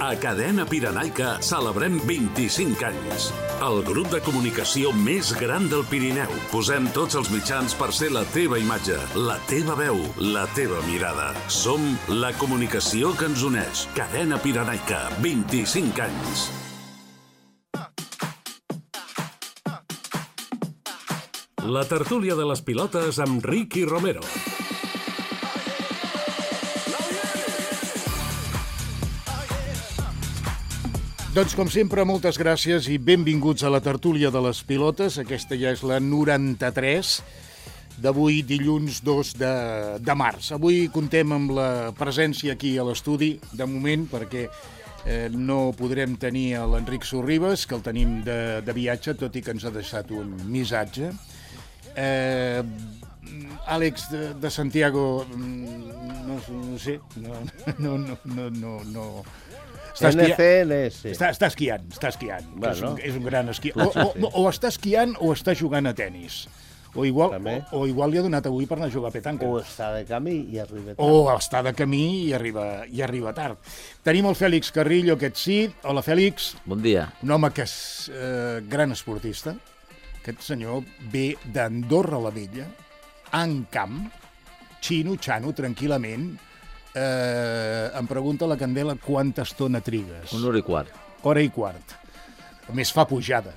A Cadena Pirenaica celebrem 25 anys. El grup de comunicació més gran del Pirineu. Posem tots els mitjans per ser la teva imatge, la teva veu, la teva mirada. Som la comunicació que ens uneix. Cadena Pirenaica, 25 anys. La tertúlia de les pilotes amb Ricky Romero. Doncs, com sempre, moltes gràcies i benvinguts a la tertúlia de les pilotes. Aquesta ja és la 93 d'avui, dilluns 2 de març. Avui contem amb la presència aquí a l'estudi, de moment, perquè no podrem tenir l'Enric Sorribes, que el tenim de viatge, tot i que ens ha deixat un missatge. Àlex de Santiago, no sé, no. NCLS. Està esquiant. Bueno, és un gran esquiador. O està esquiant o està jugant a tennis. O igual li ha donat avui per anar a jugar a petanca. O està de camí i arriba tard. O està de camí i arriba tard. Tenim el Fèlix Carrillo, aquest sí. Hola, Fèlix. Bon dia. Un home que és gran esportista. Aquest senyor ve d'Andorra la Vella, en camp, xano, tranquil·lament. Em pregunta la Candela quanta estona trigues. 1 hora i quart. Hora i quart. A més, fa pujada.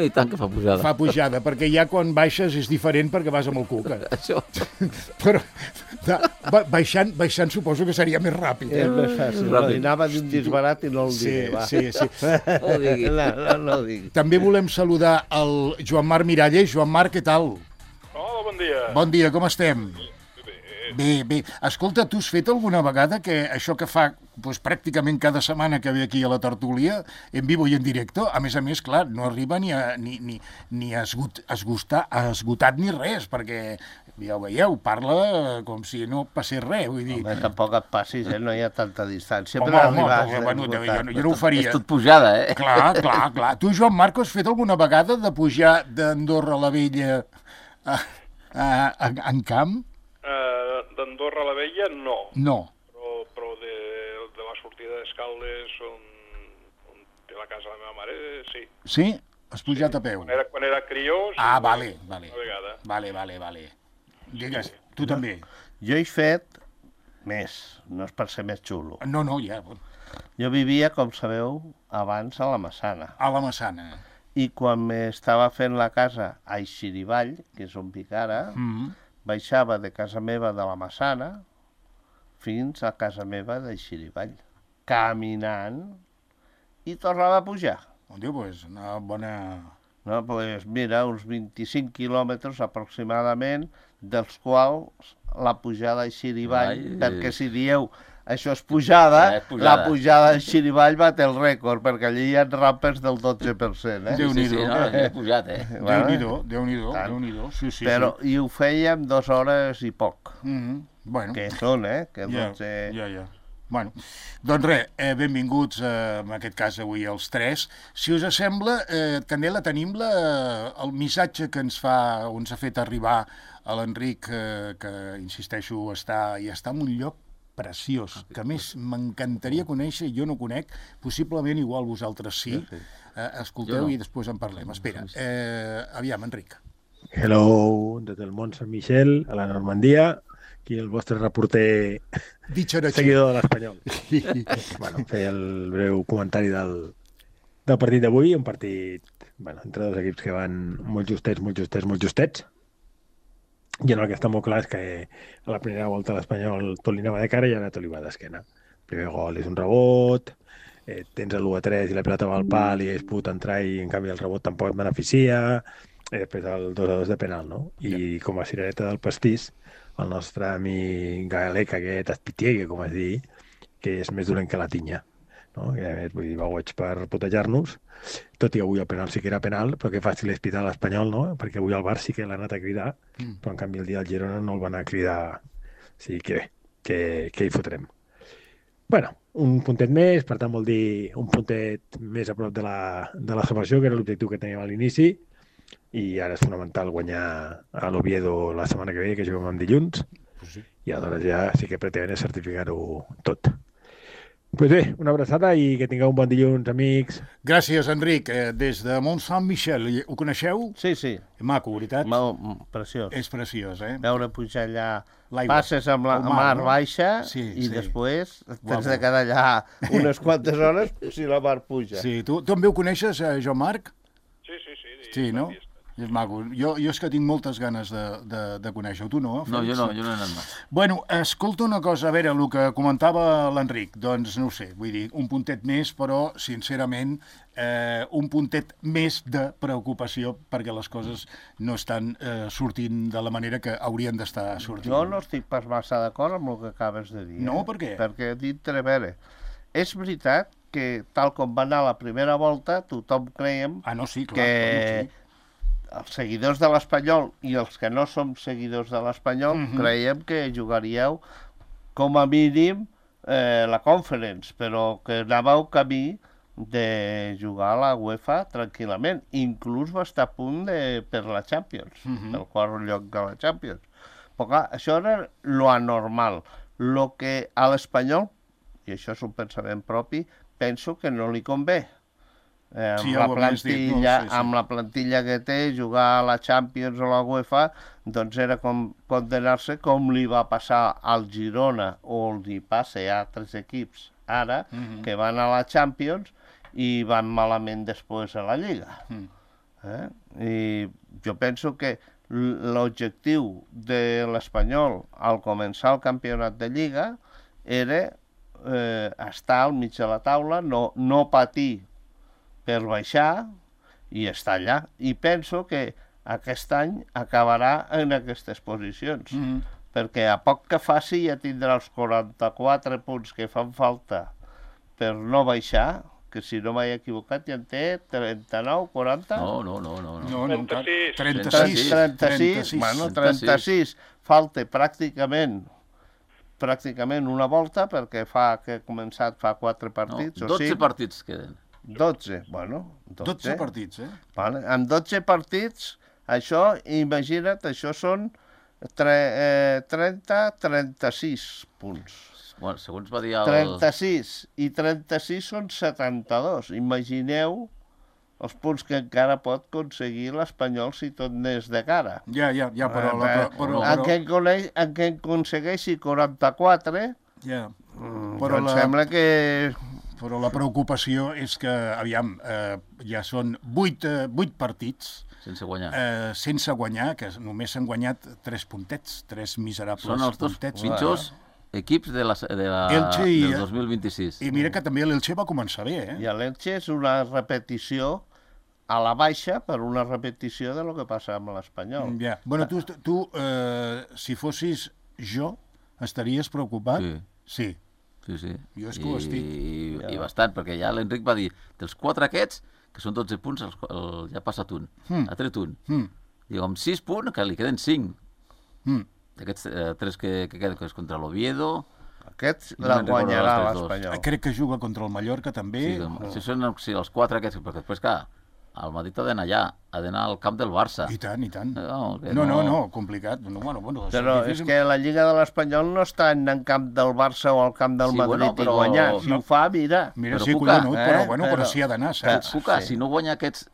I tant que fa pujada. Fa pujada, perquè ja quan baixes és diferent perquè vas amb el cuca. Això. Però baixant suposo que seria més ràpid. És més fàcil. Anava d'un disbarat i no el diré. Sí. No ho digui. No ho digui. També volem saludar el Joan Marc Miralles. Joan Marc, què tal? Hola, bon dia. Bon dia, com estem? Bé. Escolta, tu has fet alguna vegada que això que fa pràcticament cada setmana que ve aquí a la tertúlia, en vivo i en directe, a més, clar, no arriba ni a esgotat ni res, perquè ja ho veieu, parla com si no passés res, vull dir... Home, tampoc et passis, no hi ha tanta distància. Jo no ho faria. És tot pujada, Clar. Tu, Joan Marc, has fet alguna vegada de pujar d'Andorra la Vella en camp? D'Andorra la Vella, no. No. Però de la sortida d'Escaldes, on té la casa de la meva mare, sí. Sí? Has pujat a peu? Quan era crió, sí. Vale. Una vegada. Vale. Digues, tu també. Jo he fet més, no és per ser més xulo. No, ja. Jo vivia, com sabeu, abans a la Massana. A la Massana. I quan m'estava fent la casa a Eixirivall, que és on vic ara, baixava de casa meva de la Massana fins a casa meva d'Eixirivall, caminant, i tornava a pujar. Doncs una bona... No, mira, uns 25 quilòmetres aproximadament, dels quals la pujada a Eixirivall, perquè si dieu això és pujada, la pujada a Eixirivall bat el rècord, perquè allí hi ha rampes del 12%. Déu-n'hi-do. He pujat, Déu-n'hi-do. Sí. Però i ho fèiem 2 hores i poc. Bueno. Que són, que pot ser... Ja. Bueno, doncs res, benvinguts en aquest cas avui els tres. Si us sembla, Candela, tenim el missatge que ens ha fet arribar a l'Enric, que insisteixo, està en un lloc preciós, que a més m'encantaria conèixer, jo no conec, possiblement igual vosaltres sí. Escolteu i després en parlem. Espera, aviam, Enric. Hello, des del Mont Sant Michel, a la Normandia, aquí el vostre reporter seguidor de l'Espanyol. Feia el breu comentari del partit d'avui, un partit entre dos equips que van molt justets. I el que està molt clar és que a la primera volta l'Espanyol tot li anava de cara i ara tot li va d'esquena. El primer gol és un rebot, tens el 1-3 i la pilota va al pal i es pot entrar i en canvi el rebot tampoc et beneficia, després el 2-2 de penal, no? I com a cirereta del pastís, el nostre amic galec aquest Espitiegue, com es diu, que és més dolent que la tinya, no? I a més, vull dir, va goig per putejar-nos, tot i avui el penal sí que era penal, però que fàcil és pitar l'Espanyol, no? Perquè avui el Bar sí que l'ha anat a cridar, però en canvi el dia del Girona no el van a cridar. O sigui que bé, que hi fotrem. Bueno, un puntet més, per tant vol dir un puntet més a prop de la salvació, que era l'objectiu que teníem a l'inici, i ara és fonamental guanyar a l'Oviedo la setmana que ve, que juguem en dilluns, i aleshores ja sí que pretenen certificar-ho tot. Pues bé, una abraçada i que tingueu un bon dilluns, amics. Gràcies, Enric. Des de Mont Saint-Michel, ho coneixeu? Sí, sí. Maco, veritat? Preciós. És preciós, eh? Veure pujar allà, passes amb la mar baixa i després tens de quedar allà unes quantes hores si la mar puja. Sí, tu també ho coneixes, Joan Marc? Sí. Sí, no? És maco. Jo és que tinc moltes ganes de conèixer-ho. Tu no? No, jo no he anat mai. Bueno, escolta una cosa, a veure, el que comentava l'Enric, doncs no ho sé, vull dir, un puntet més, però, sincerament, un puntet més de preocupació perquè les coses no estan sortint de la manera que haurien d'estar sortint. Jo no estic pas massa d'acord amb el que acabes de dir. No, per què? Perquè he dit, a veure, és veritat que tal com va anar la primera volta, tothom creiem que els seguidors de l'Espanyol i els que no som seguidors de l'Espanyol creiem que jugaríeu com a mínim la Conference, però que anàveu camí de jugar a la UEFA tranquil·lament. Inclús va estar a punt per la Champions, el quart lloc de la Champions. Però clar, això era lo anormal. Lo que a l'Espanyol, i això és un pensament propi, penso que no li convé. Amb la plantilla que té, jugar a la Champions o a la UEFA, doncs era com condenar-se com li va passar al Girona o li passa a altres equips ara, que van a la Champions i van malament després a la Lliga. I jo penso que l'objectiu de l'Espanyol al començar el campionat de Lliga era estar al mig de la taula, no patir per baixar i estar allà. I penso que aquest any acabarà en aquestes posicions, perquè a poc que faci ja tindrà els 44 punts que fan falta per no baixar, que si no m'he equivocat ja en té 39, 40... No. 36. Bueno, 36. Falta pràcticament una volta, perquè que ha començat fa 4 partits. 12 partits queden. 12, bueno. 12 partits, eh? Vale. Amb 12 partits, això, imagina't, això són 36 punts. Bueno, segons va dir el... 36, i 36 són 72. Imagineu els punts que encara pot aconseguir l'Espanyol si tot anés de cara. Ja, però... En què aconsegueixi 44, però em sembla que... Però la preocupació és que, aviam, ja són 8 partits sense guanyar. Sense guanyar, que només s'han guanyat 3 puntets, 3 miserables puntets. Són els 2 pitjors equips del 2026. I mira que també l'Elche va començar bé, eh? I l'Elche és una repetició a la baixa per una repetició de lo que passa amb l'Espanyol. Ja. Bueno, tu si fossis jo, estaries preocupat? Sí. Jo és que ho estic. I bastant, perquè ja l'Enric va dir, dels 4 aquests, que són 12 punts, ja ha passat un, ha tret un. Diu, amb 6 punts, que li queden 5. D'aquests 3 que queden, que és contra l'Oviedo... Aquests la guanyarà l'Espanyol. Crec que juga contra el Mallorca, també. Si són els 4 aquests, perquè després, clar, el Madrid ha d'anar allà, ha d'anar al camp del Barça. I tant. No, complicat. Però és que la Lliga de l'Espanyol no està en el camp del Barça o al camp del Madrid i guanyar. Si ho fa, mira. Mira, sí, collonut, però sí ha d'anar, saps? Cuca, si no guanya aquests...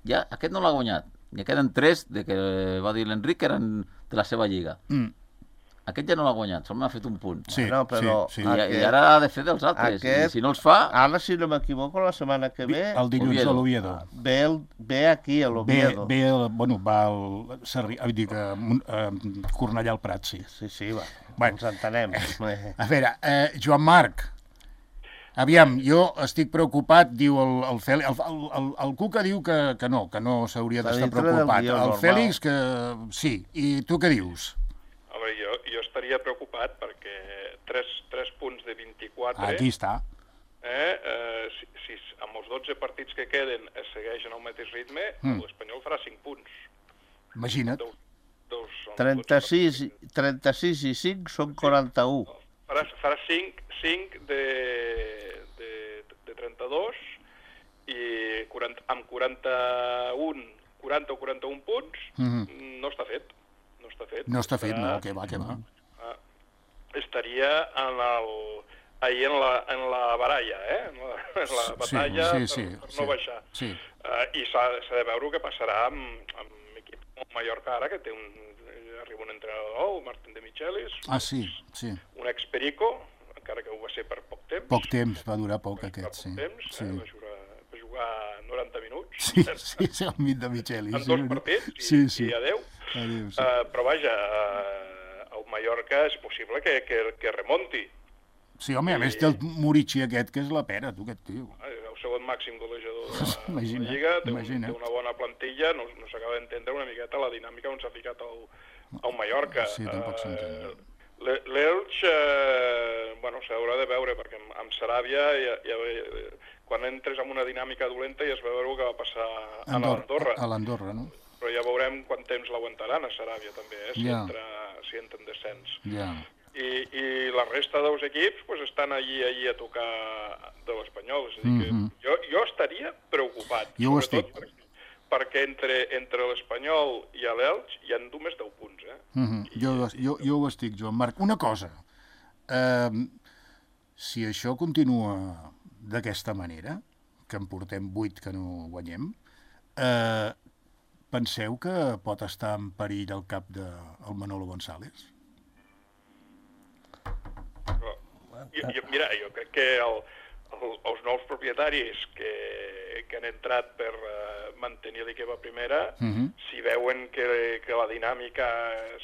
Ja, aquest no l'ha guanyat. Ja queden 3, de que va dir l'Enric, que eren de la seva Lliga. Aquest ja no l'ha guanyat, solament ha fet un punt. Sí. I ara ha de fer dels altres. I si no els fa... Ara, si no m'equivoco, la setmana que ve... El dilluns a l'Oviedo. Ve aquí, a l'Oviedo. Va al Cornellà al Prat, sí. Sí, va. Ens entenem. A veure, Joan Marc, aviam, jo estic preocupat, diu el Fèlix... El Cuca diu que no s'hauria d'estar preocupat. El Fèlix, que sí. I tu què dius? Home, jo estaria preocupat perquè 3 punts de 24... Aquí està. Si amb els 12 partits que queden es segueixen al mateix ritme, l'Espanyol farà 5 punts. Imagina't. 36 i 5 són 41. Farà 5 de 32 i amb 40 o 41 punts no està fet. No està fet, no, que va. Estaria ahir en la baralla, en la batalla per no baixar. I s'ha de veure què passarà amb l'equip com Mallorca ara, que arriba un entrenador nou, Martín de Michelis. Sí. Un ex-Perico, encara que ho va ser per poc temps. Poc temps, va durar poc aquest, sí. Va jugar 90 minuts. Sí, el mit de Michelis. En 2 partits i adéu. Però vaja, el Mallorca és possible que remonti. Sí, home, a més té el Murici aquest, que és la pera, tu, aquest tio. El segon màxim golejador de la Lliga, té una bona plantilla, no s'acaba d'entendre una miqueta la dinàmica on s'ha ficat el Mallorca. Sí, tampoc s'entén. L'Elx, s'haurà de veure, perquè amb Saràbia, quan entres en una dinàmica dolenta ja es va veure què va passar a l'Andorra. A l'Andorra, no? Però ja veurem quant temps l'aguantaran a Saràbia, també, si entra en descens. I la resta dels equips estan allí a tocar de l'Espanyol. És a dir, que jo estaria preocupat. Jo ho estic. Perquè entre l'Espanyol i l'Elx hi ha només 10 punts. Jo ho estic, Joan Marc. Una cosa, si això continua d'aquesta manera, que en portem 8 que no guanyem, penseu que pot estar en perill el cap del Manolo González? Mira, jo crec que els nous propietaris que han entrat per mantenir l'equip a primera, si veuen que la dinàmica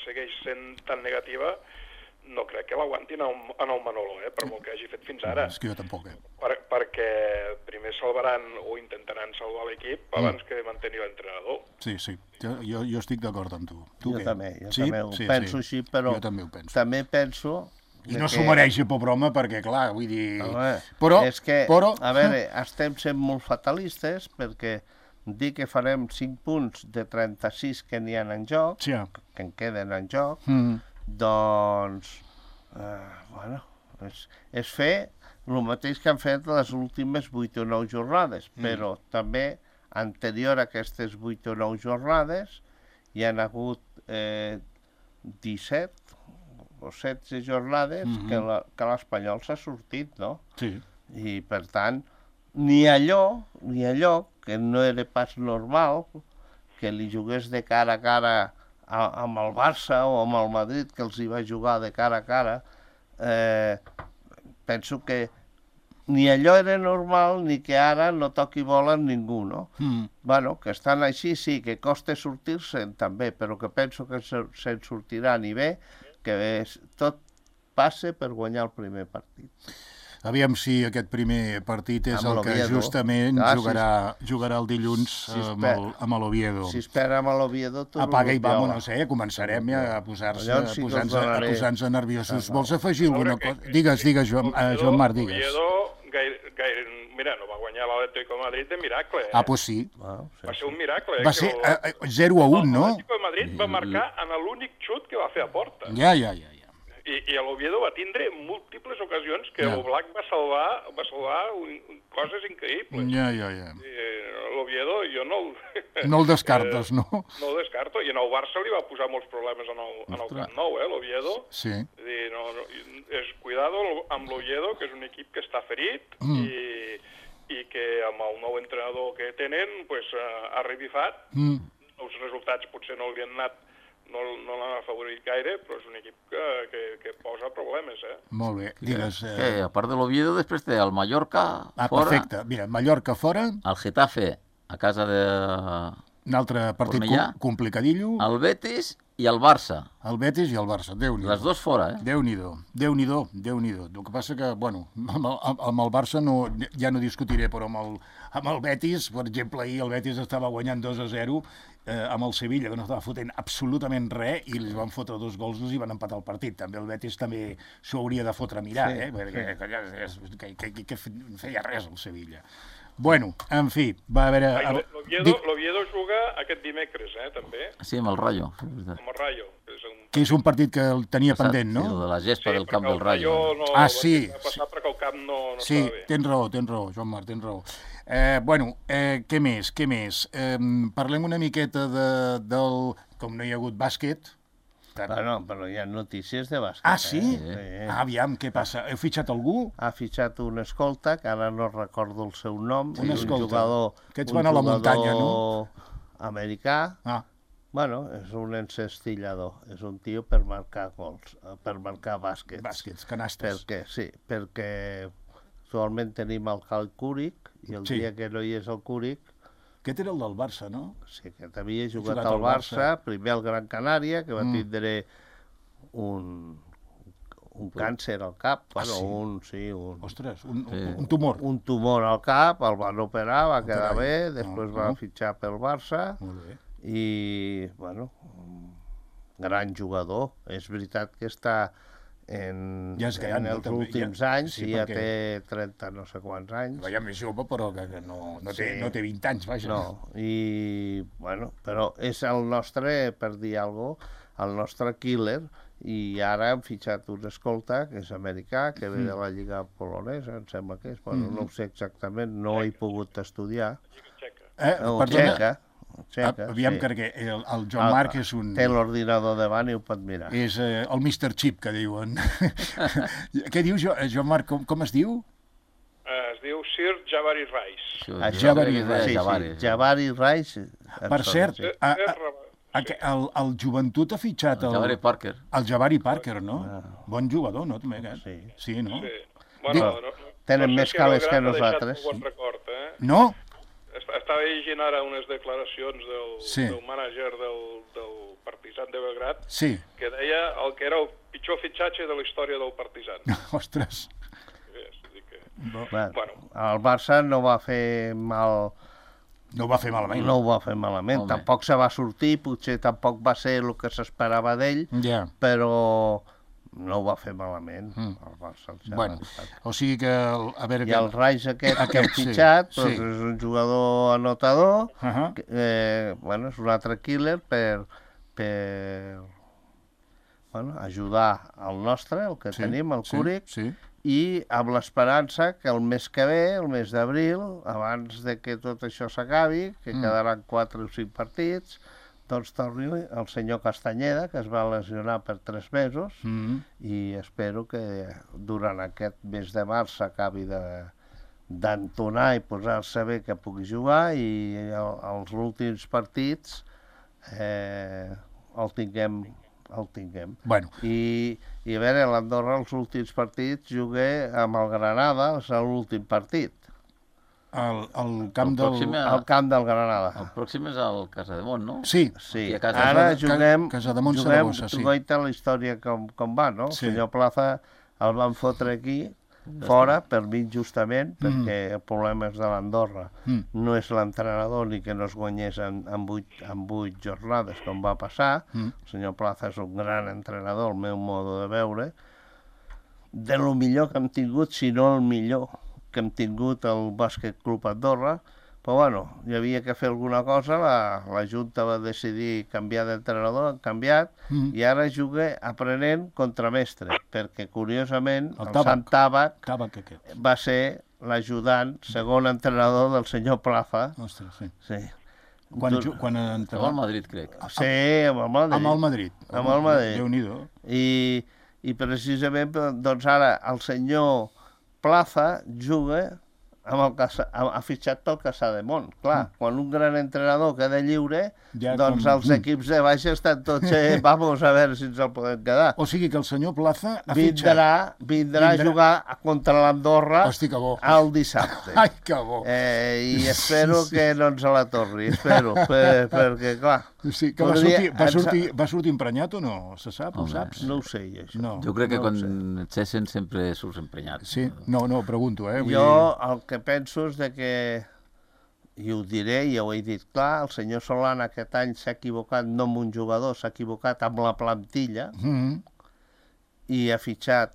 segueix sent tan negativa, no crec que l'aguantin en el Manolo, per molt que hagi fet fins ara. És que jo tampoc, Perquè primer salvaran o intentaran salvar l'equip abans que mantenir l'entrenador. Sí, jo estic d'acord amb tu. Jo també ho penso així, però també penso... I no s'ho mereix, pobre home, perquè, clar, vull dir... És que, a veure, estem sent molt fatalistes, perquè dir que farem 5 punts de 36 que n'hi ha en joc, que en queden en joc, doncs, és fer el mateix que han fet les últimes 8 o 9 jornades, però també, anterior a aquestes 8 o 9 jornades, hi han hagut 17 o 16 jornades que l'Espanyol s'ha sortit, no? Sí. I, per tant, ni allò que no era pas normal, que li jugués de cara a cara amb el Barça o amb el Madrid, que els hi va jugar de cara a cara, penso que ni allò era normal ni que ara no toqui bola amb ningú, no? Bueno, que estan així, sí, que costa sortir-se'n també, però que penso que se'n sortirà ni bé, que tot passa per guanyar el primer partit. Aviam si aquest primer partit és el que justament jugarà el dilluns amb l'Oviedo. Si espera amb l'Oviedo... Apaga i vámonos, començarem ja a posar-nos nerviosos. Vols afegir alguna cosa? Digues, Joan Marc, digues. L'Oviedo, mira, no va guanyar l'Atlético de Madrid de miracle. Pues sí. Va ser un miracle. Va ser 0-1, no? L'Atlético de Madrid va marcar en l'únic xut que va fer a porta. Ja. I l'Oviedo va tindre múltiples ocasions que l'Oblak va salvar coses increïbles. Ja. L'Oviedo jo no el descartes, no? No el descarto. I en el Barça li va posar molts problemes en el Camp Nou, l'Oviedo. Sí. Cuidado amb l'Oviedo, que és un equip que està ferit i que amb el nou entrenador que tenen ha revifat. Els resultats potser no li han anat, no l'han afavorit gaire, però és un equip que posa problemes, Molt bé, digues... A part de l'Oviedo, després té el Mallorca fora... Perfecte, mira, Mallorca fora... El Getafe, a casa de... Un altre partit complicadillo... El Betis i el Barça. El Betis i el Barça, Déu-n'hi-do. Les dos fora, Déu-n'hi-do. El que passa que, amb el Barça ja no discutiré, però amb el Betis, per exemple, ahir el Betis estava guanyant 2-0 amb el Sevilla, que no estava fotent absolutament res, i li van fotre 2 gols i van empatar el partit. També el Betis també s'ho hauria de fotre a mirar, perquè que feia res el Sevilla. Bueno, en fi, va haver... L'Oviedo juga aquest dimecres, també. Sí, amb el Rayo. Amb el Rayo. Que és un partit que el tenia pendent, no? Sí, de la gespa del camp del Rayo. Sí. Va passar perquè el camp no sí, estava bé. Tens raó, Joan Marc, tens raó. Què més? Parlem una miqueta del... Com no hi ha hagut bàsquet, Bueno, però hi ha notícies de bàsquet. Ah, sí? Aviam, què passa? Heu fitxat algú? Ha fitxat un escolta, que ara no recordo el seu nom. Un escolta. Jugador, Aquests van a la muntanya, no? Americà. Bueno, és un encestillador. És un tio per marcar gols, per marcar bàsquets. Bàsquets, canastes. Perquè actualment tenim el Cal Cúric, i el dia que no hi és el Cúric... Aquest era el del Barça, no? Sí, que havia jugat al Barça, primer al Gran Canària, que va tindre un càncer al cap. Ostres, un tumor. Un tumor al cap, el van operar, va quedar bé, després va fitxar pel Barça. Molt bé. I, bueno, gran jugador. És veritat que està en els últims anys, i ja té 30 no sé quants anys. Ja més jove, però que no té 20 anys, vaja. No, i, bueno, però és el nostre, per dir alguna cosa, el nostre killer, i ara hem fitxat un escolta, que és americà, que ve de la Lliga Polonesa, em sembla que és, bueno, no ho sé exactament, no he pogut estudiar. Txeca. Aviam, perquè el Joan Marc és un... Té l'ordinador davant i ho pot mirar. És el Mr. Chip, que diuen. Què diu, Joan Marc, com es diu? Es diu Sir Jabari Rice. Jabari Rice. Per cert, el Joventut ha fitxat el Jabari Parker, no? Bon jugador, no? Sí, no? Bueno, tenen més calés que nosaltres. No? Estava llegint ara unes declaracions del mànager del Partizan de Belgrat, que deia el que era el pitjor fitxatge de la història del Partizan. Ostres. El Barça no va fer mal... No ho va fer malament. No ho va fer malament. Tampoc se va sortir, potser tampoc va ser el que s'esperava d'ell, però... no ho va fer malament, el Barça. Bueno, o sigui que... I el Rice aquest que hem fitxat, és un jugador anotador, bueno, és un altre killer per ajudar el nostre, el que tenim, el Cúric, i amb l'esperança que el mes que ve, el mes d'abril, abans de que tot això s'acabi, que quedaran 4 o 5 partits, doncs torni el senyor Castanyeda, que es va lesionar per 3 mesos, i espero que durant aquest mes de març s'acabi d'entonar i posar-se bé que pugui jugar, i els últims partits el tinguem. I a veure, l'Andorra, els últims partits, jugué amb el Granada, és l'últim partit. El camp del Granada. El pròxim és el Casademont, no? Sí. Ara juguem Saragossa, la història com va, no? El senyor Plaza el van fotre aquí, fora, per mi injustament, perquè el problema és de l'Andorra. No és l'entrenador ni que no es guanyés en 8 jornades, com va passar. El senyor Plaza és un gran entrenador, el meu modo de veure. De lo millor que hem tingut, si no el millor que hem tingut el Bàsquet Club Andorra, però bueno, hi havia que fer alguna cosa, la Junta va decidir canviar d'entrenador, han canviat, i ara juga aprenent contramestre, perquè curiosament el Sant Tàbac va ser l'ajudant, segon entrenador del senyor Plaza. Ostres, sí. Quan estava al Madrid, crec. Sí, amb el Madrid. Déu-n'hi-do. I precisament, doncs ara el senyor Plaza juga ha fitxat pel Casademont. Clar, quan un gran entrenador queda lliure, doncs els equips de baixa estan tots, vamos a veure si ens el podem quedar. O sigui que el senyor Plaza ha fitxat... Vindrà a jugar contra l'Andorra el dissabte. Ai, que bo! I espero que no ens la torni, perquè, clar... Sí, que va sortir emprenyat o no? Se sap? Ho saps? No ho sé, això. Jo crec que quan et cessen sempre surts emprenyat. Sí? No, pregunto, Jo el que penso és que, i ho diré, ja ho he dit clar, el senyor Solana aquest any s'ha equivocat no amb un jugador, s'ha equivocat amb la plantilla, i ha fitxat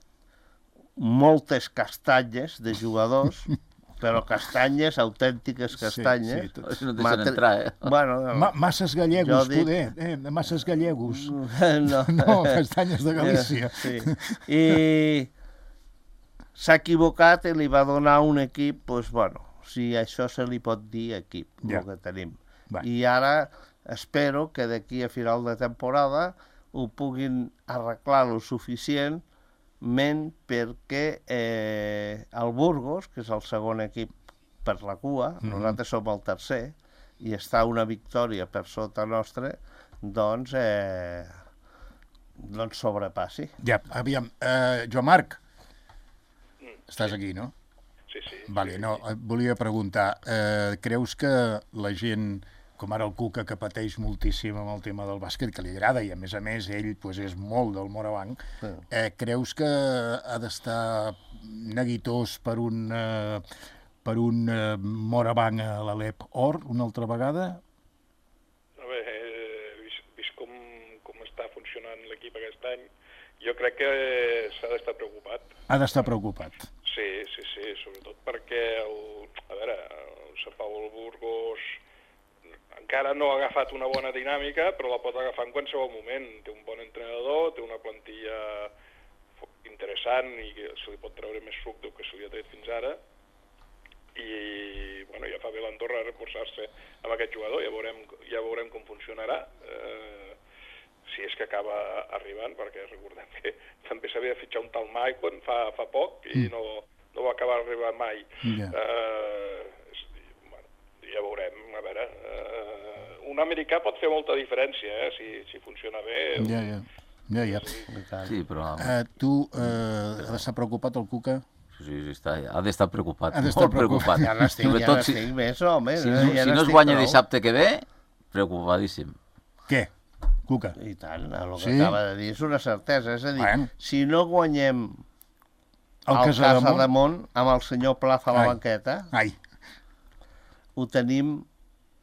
moltes castanyes de jugadors, però castanyes, autèntiques castanyes. Sí, no deixen entrar, Bueno, masses gallegos, masses gallegos. No, castanyes de Galícia. Sí. I s'ha equivocat i li va donar un equip, doncs, bueno, si això se li pot dir equip, el que tenim. I ara espero que d'aquí a final de temporada ho puguin arreglar lo suficientment perquè el Burgos, que és el segon equip per la cua, nosaltres som el tercer, i està una victòria per sota nostra, doncs sobrepassi. Ja, aviam, Joan Marc, estàs aquí, no? Sí. Vale, no, et volia preguntar, creus que la gent, com ara el Cuca, que pateix moltíssim amb el tema del bàsquet, que li agrada, i a més ell pues, és molt del Morabanc, creus que ha d'estar neguitós per un Morabanc a l'Alep Or una altra vegada? A veure, vist com està funcionant l'equip aquest any, jo crec que s'ha d'estar preocupat. Ha d'estar preocupat. Sí, sobretot perquè el Sant Pau Burgos encara no ha agafat una bona dinàmica, però la pot agafar en qualsevol moment. Té un bon entrenador, té una plantilla interessant i que se li pot treure més suc del que se li ha tret fins ara. I ja fa bé l'Andorra reforçar-se amb aquest jugador, ja veurem com funcionarà, si és que acaba arribant, perquè recordem que també s'havia de fitxar un tal Maicon fa poc i no va acabar arribant mai. Ja veurem, a veure, un americà pot fer molta diferència, si funciona bé. Ja. Sí, però... Tu has d'estar preocupat, el Cuca? Sí, ha d'estar preocupat, molt preocupat. Ja n'estic més, home. Si no es guanya dissabte que ve, preocupadíssim. Què? Cuca? I tant, el que acaba de dir és una certesa. És a dir, si no guanyem el Casademont amb el senyor Plaza a la banqueta, ho tenim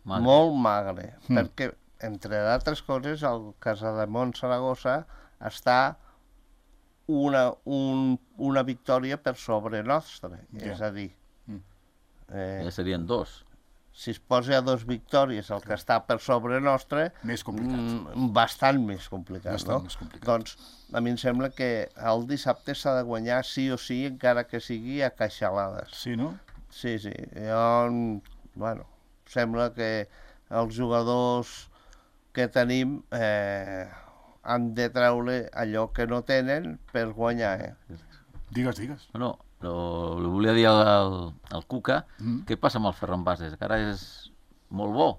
molt magre, perquè, entre d'altres coses, el Casademont Saragossa està una victòria per sobre nostre. És a dir... Ja serien 2. Si es posa a 2 victòries el que està per sobre nostre... Més complicat. Bastant més complicat, no? Doncs a mi em sembla que el dissabte s'ha de guanyar sí o sí, encara que sigui a caixalades. Sí, no? Sí. Sembla que els jugadors que tenim... han de treure allò que no tenen per guanyar. Digues. No, li volia dir al Cuca què passa amb el Ferran Bases, que ara és molt bo.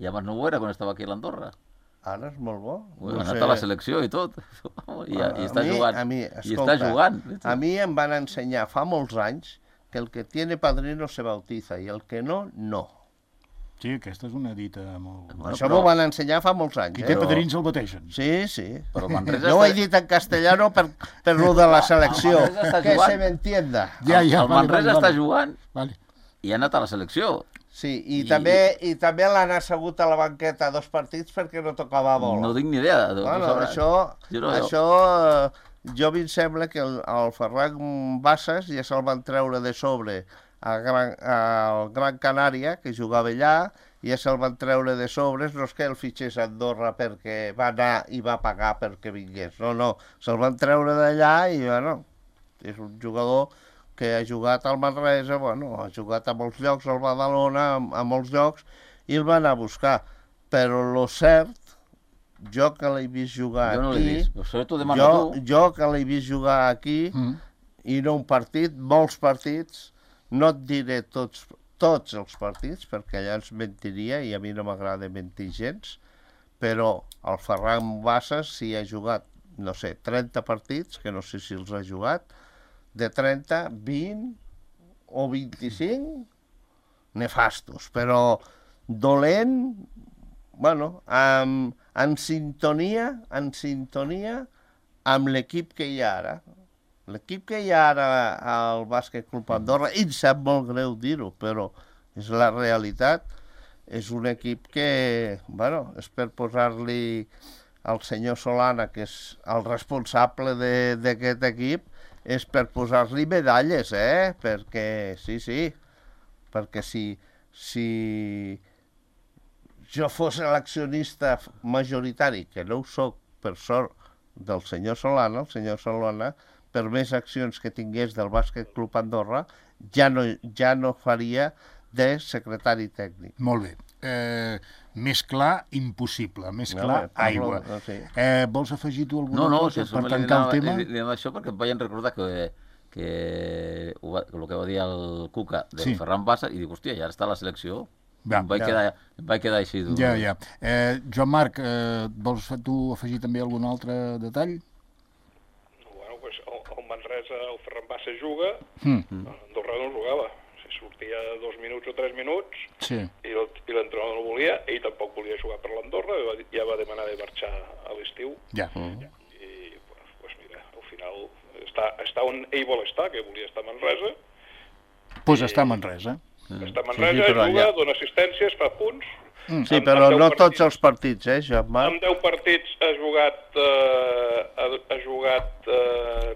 I abans no ho era quan estava aquí a l'Andorra. Ara és molt bo. Ha anat a la selecció i tot. I està jugant. I està jugant. A mi em van ensenyar fa molts anys que el que tiene padrino se bautiza i el que no, no. Sí, aquesta és una dita molt... Això m'ho van ensenyar fa molts anys. Qui té padrins el bateixen. Sí. Però no ho he dit en castellano per lo de la selecció. Que se m'entienda. El Manresa està jugant i ha anat a la selecció. Sí, i també l'han assegut a la banqueta 2 partits perquè no tocava bola. No tinc ni idea. Això jo em sembla que el Ferran Bassas ja se'l van treure de sobre al Gran Canària, que jugava allà, i ja se'l van treure de sobres, no és que el fitxés a Andorra perquè va anar i va pagar perquè vingués, no, se'l van treure d'allà i, és un jugador que ha jugat al Manresa, ha jugat a molts llocs, al Badalona, a molts llocs, i el va anar a buscar. Però lo cert, jo que l'he vist jugar aquí, jo que l'he vist jugar aquí, i no un partit, molts partits, no et diré tots els partits, perquè allà ens mentiria i a mi no m'agrada mentir gens, però el Ferran Bassas s'hi ha jugat, 30 partits, que no sé si els ha jugat, de 30, 20 o 25, nefastos, però dolent, en sintonia amb l'equip que hi ha ara. L'equip que hi ha ara al Bàsquet Club Andorra, i em sap molt greu dir-ho, però és la realitat, és un equip que, és per posar-li al senyor Solana, que és el responsable d'aquest equip, és per posar-li medalles, perquè, sí, perquè si jo fos l'accionista majoritari, que no ho soc, per sort, del senyor Solana, el senyor Solana, per més accions que tingués del Bàsquet Club Andorra, ja no faria de secretari tècnic. Molt bé. Més clar, impossible. Més clar, aigua. Vols afegir tu alguna cosa per tancar el tema? Li anava això perquè em vaig recordar que el que va dir el Cuca del Ferran Bassa i dic, hòstia, ja està la selecció. Em vaig quedar així. Ja. Joan Marc, vols tu afegir també algun altre detall? Bueno, doncs el Manresa, el Ferran Bassa juga, Andorra no jugava. Sortia 2 minuts o 3 minuts i l'entrenador no volia, ell tampoc volia jugar per l'Andorra, ja va demanar de marxar a l'estiu. I, doncs mira, al final està on ell vol estar, que volia estar a Manresa. Doncs està a Manresa. Està a Manresa, juga, dona assistències, fa punts. Sí, però no tots els partits, Joan Marc? En 10 partits ha jugat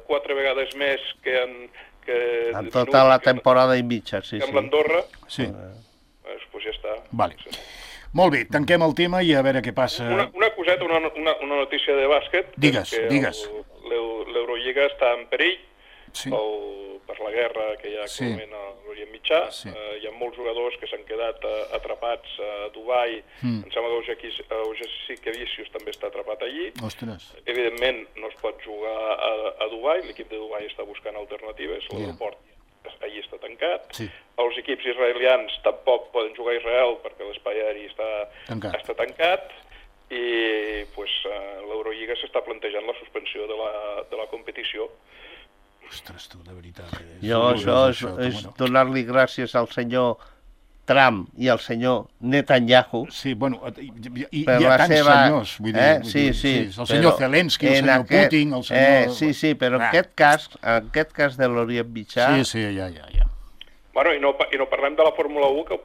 4 vegades més que en tota la temporada i mitja, sí. Amb l'Andorra, doncs ja està. Molt bé, tanquem el tema i a veure què passa. Una coseta, una notícia de bàsquet. Digues. L'Eurolliga està en perill per la guerra que hi ha actualment a l'Orient Mitjà. Hi ha molts jugadors que s'han quedat atrapats a Dubai. Em sembla que Ojassi Kevicius també està atrapat allí. Evidentment no es pot jugar a Dubai, l'equip de Dubai està buscant alternatives, l'aeroport allí està tancat. Els equips israelians tampoc poden jugar a Israel perquè l'espai aeri està tancat. I l'Eurolliga s'està plantejant la suspensió de la competició. Ostres, tu, de veritat. Això és donar-li gràcies al senyor Trump i al senyor Netanyahu. Sí, bueno, hi ha tants senyors, vull dir. Sí. El senyor Zelensky, el senyor Putin, el senyor... Sí, però en aquest cas de l'Orient Mitjà... Sí, ja. Bueno, i no parlem de la Fórmula 1, que el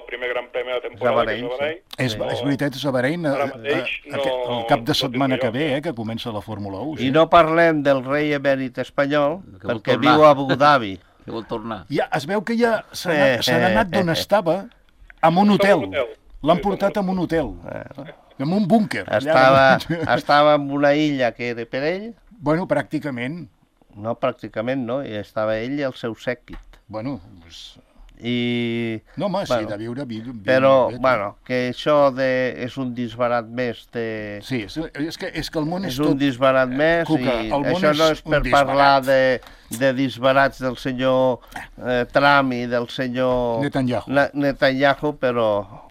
primer gran premi de temporada que és a Bahrein. És veritat, és a Bahrein el cap de setmana que ve, que comença la Fórmula 1. I no parlem del rei emèrit espanyol, perquè viu a Abu Dhabi. Que vol tornar. Ja, es veu que ja se n'ha anat d'on estava, a un hotel. L'han portat a un hotel, en un búnquer. Estava en una illa que era per ell. Bueno, pràcticament. No, pràcticament no, i estava ell i el seu sèquit. Bueno, no, home, sí, de viure... Però, bueno, que això és un disbarat més de... Sí, és que el món és tot... És un disbarat més i això no és per parlar de disbarats del senyor Trump i del senyor Netanyahu, però...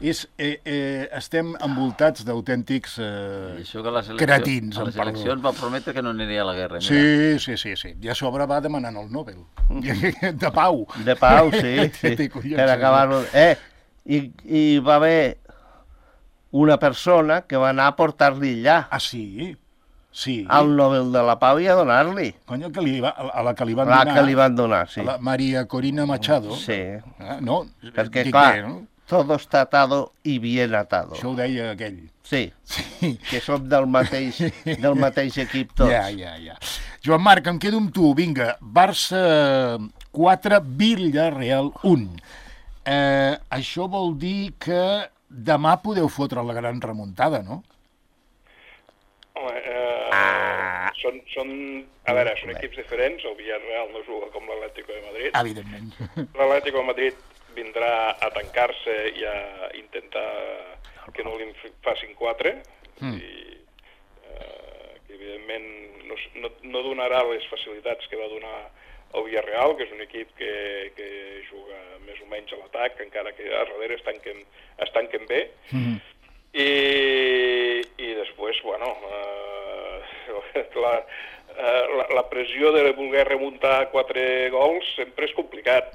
Estem envoltats d'autèntics cretins. A les eleccions va prometre que no aniria a la guerra. Sí. I a sobre va demanant el Nobel. De pau. De pau, sí. Per acabar-ho. I va haver una persona que va anar a portar-li allà. Ah, sí? Sí. Al Nobel de la Pau i a donar-li. Conyo, a la que li van donar. La que li van donar, sí. A la Maria Corina Machado. Sí. No, perquè, clar, todo está atado y bien atado. Això ho deia aquell. Sí, que som del mateix equip tots. Ja. Joan Marc, em quedo amb tu. Vinga, Barça 4, Villarreal 1. Això vol dir que demà podeu fotre la gran remuntada, no? Home, són equips diferents. El Villarreal no juga com l'Atlético de Madrid. Evidentment. L'Atlético de Madrid vindrà a tancar-se i a intentar que no li facin 4 i que evidentment no donarà les facilitats que va donar el Villarreal, que és un equip que juga més o menys a l'atac, encara que a darrere es tanquen bé. I després, bueno, la pressió de voler remuntar 4 gols sempre és complicat,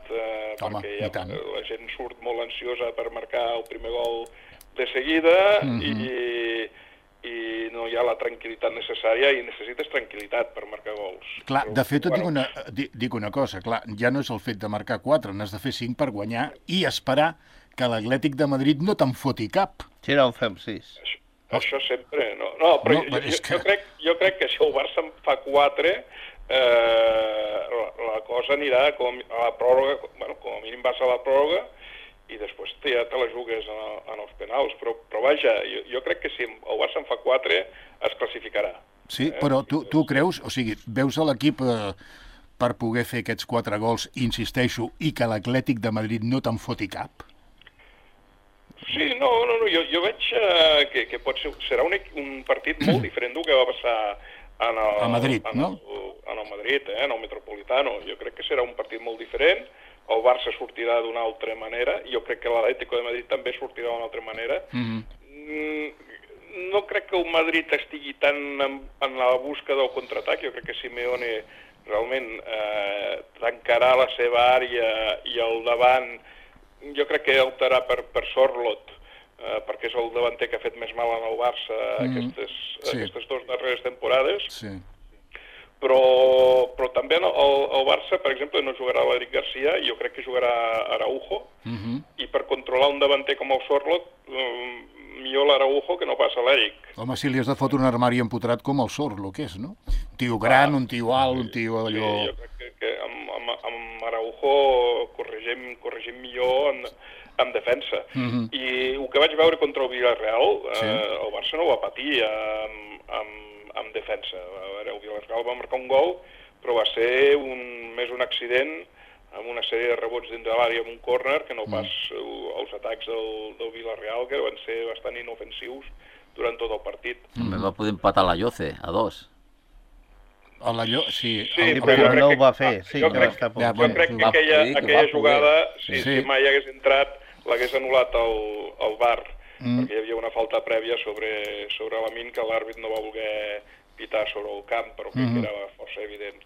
perquè la gent surt molt ansiosa per marcar el primer gol de seguida i no hi ha la tranquil·litat necessària i necessites tranquil·litat per marcar gols. Clar, de fet, et dic una cosa, clar, ja no és el fet de marcar 4, n'has de fer 5 per guanyar i esperar que l'Atlètic de Madrid no te'n foti cap. Si no en fem 6. Això sempre, no, però jo crec que si el Barça en fa 4, la cosa anirà a la pròrroga, bueno, com a mínim vas a la pròrroga i després ja te la jugues en els penals, però vaja, jo crec que si el Barça en fa 4 es classificarà. Sí, però tu creus, o sigui, veus a l'equip per poder fer aquests 4 gols, insisteixo, i que l'Atlètic de Madrid no te'n foti cap? Sí, no, jo veig que serà un partit molt diferent del que va passar a Madrid, no? En el Madrid, en el Metropolitano. Jo crec que serà un partit molt diferent. El Barça sortirà d'una altra manera. Jo crec que l'Atlético de Madrid també sortirà d'una altra manera. No crec que el Madrid estigui tan en la busca del contraatac. Jo crec que Simeone realment tancarà la seva àrea i al davant jo crec que optarà per Sorloth, perquè és el davanter que ha fet més mal en el Barça aquestes 2 darreres temporades. Sí. Però també el Barça, per exemple, no jugarà l'Eric Garcia, jo crec que jugarà Araujo, i per controlar un davanter com el Sorloth, millor l'Araujo que no passa l'Eric. Home, si li has de fotre un armari empotrat com el Sorloth, que és, no? Un tio gran, un tio alt, un tio allò... Sí, jo crec que amb Araujo corregim millor en defensa. I el que vaig veure contra el Villarreal, el Barça no ho va patir en defensa. A veure, el Villarreal va marcar un gol, però va ser més un accident amb una sèrie de rebots dins de l'àrea amb un córner que no pas els atacs del Villarreal, que van ser bastant inofensius durant tot el partit. Va poder empatar la Lloce a 2. Sí, però no ho va fer. Jo crec que aquella jugada, si mai hagués entrat, l'hagués anul·lat el VAR, perquè hi havia una falta prèvia sobre Lamine que l'àrbit no va voler pitar sobre el camp, però que era força evident.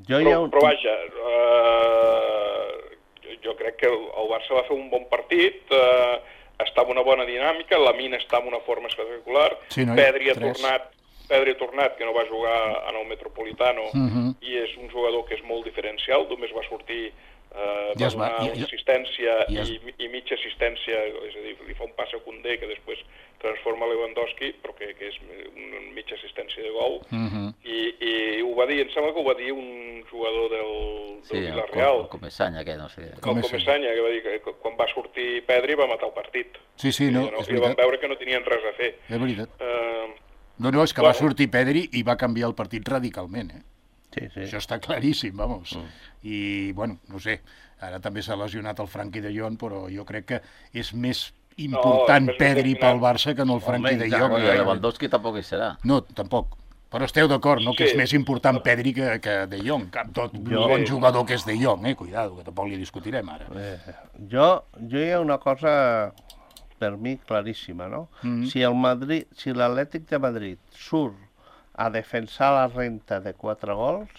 Però vaja, jo crec que el Barça va fer un bon partit, està en una bona dinàmica, Lamine està en una forma espectacular, Pedri ha tornat, que no va jugar en el Metropolitano, i és un jugador que és molt diferencial, només va sortir, va donar una assistència i mitja assistència, és a dir, li fa un pas a Koundé que després transforma Lewandowski, però que és una mitja assistència de gol, i ho va dir, em sembla que ho va dir un jugador del Villarreal. El Comesaña, que no sé. El Comesaña, que va dir que quan va sortir Pedri va matar el partit. Sí, no, és veritat. I van veure que no tenien res a fer. És veritat. No, és que va sortir Pedri i va canviar el partit radicalment, Sí. Això està claríssim, vamos. I, bueno, no sé, ara també s'ha lesionat el Frenkie de Jong, però jo crec que és més important Pedri pel Barça que no el Frenkie de Jong. I Lewandowski tampoc hi serà. No, tampoc. Però esteu d'acord, no? Que és més important Pedri que de Jong, amb tot bon jugador que és de Jong, cuidado, que tampoc li discutirem ara. Jo hi ha una cosa per mi claríssima, no? Si l'Atlètic de Madrid surt a defensar la renta de 4 gols,